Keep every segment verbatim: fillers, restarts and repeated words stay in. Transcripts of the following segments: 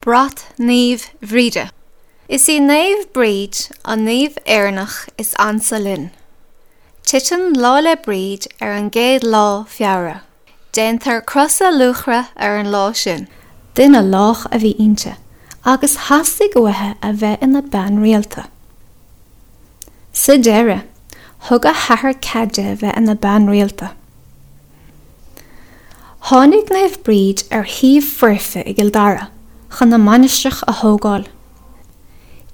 Brat Naomh Bhríde. Is í Naomh Bríd an naomh Éireannach is ansa linn. Titeann Lá 'le Bríd ar an gcéad lá Feabhra. Déantar crosa luachra ar an lá sin. Duine lách a bhí inti agus theastaigh uaithi a bheith ina bean rialta. Sa deireadh, thug a hathair cead di a bheith ina bean rialta. Tháinig Naomh Bríd ar shuíomh foirfe i gCill Dara chun a mainistreach a thógáil.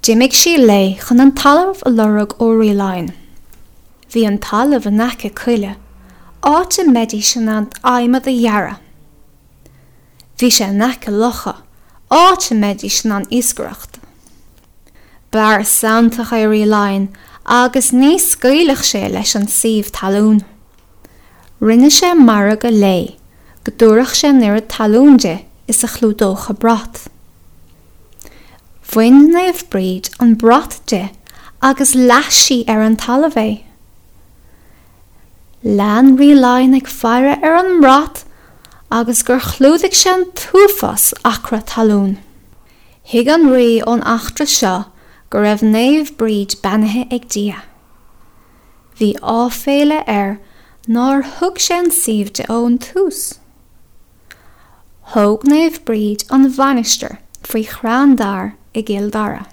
D'imigh sí léi chun an talamh a lorg ó Rí Laighean. Bhí an talamh in aice coille, áit a mbeidís in ann adhmad a ghearradh. Bhí sé in aice locha, áit a mbeidís in ann iascaireacht. B'fhear santach é Rí Laighean agus ní scaoilfeadh sé leis an suíomh talún. Rinne sé margadh léi go dtabharfadh sé an oiread talún di is a chlúdódh a brat. Bhain Naomh Bríd an brat di agus leath sí ar an talamh é. Lean Rí Laighean ag faire ar an mbrat agus gur chlúdaigh sé an t-uafás acra talún. Thuig an rí ón eachtra seo go raibh Naomh Bríd beannaithe ag Dia. Bhí áiféala air nár thug sé an suíomh di ón tús. Thóg Naomh Bríd an mhainistir faoi chrann dair i gCill Dara.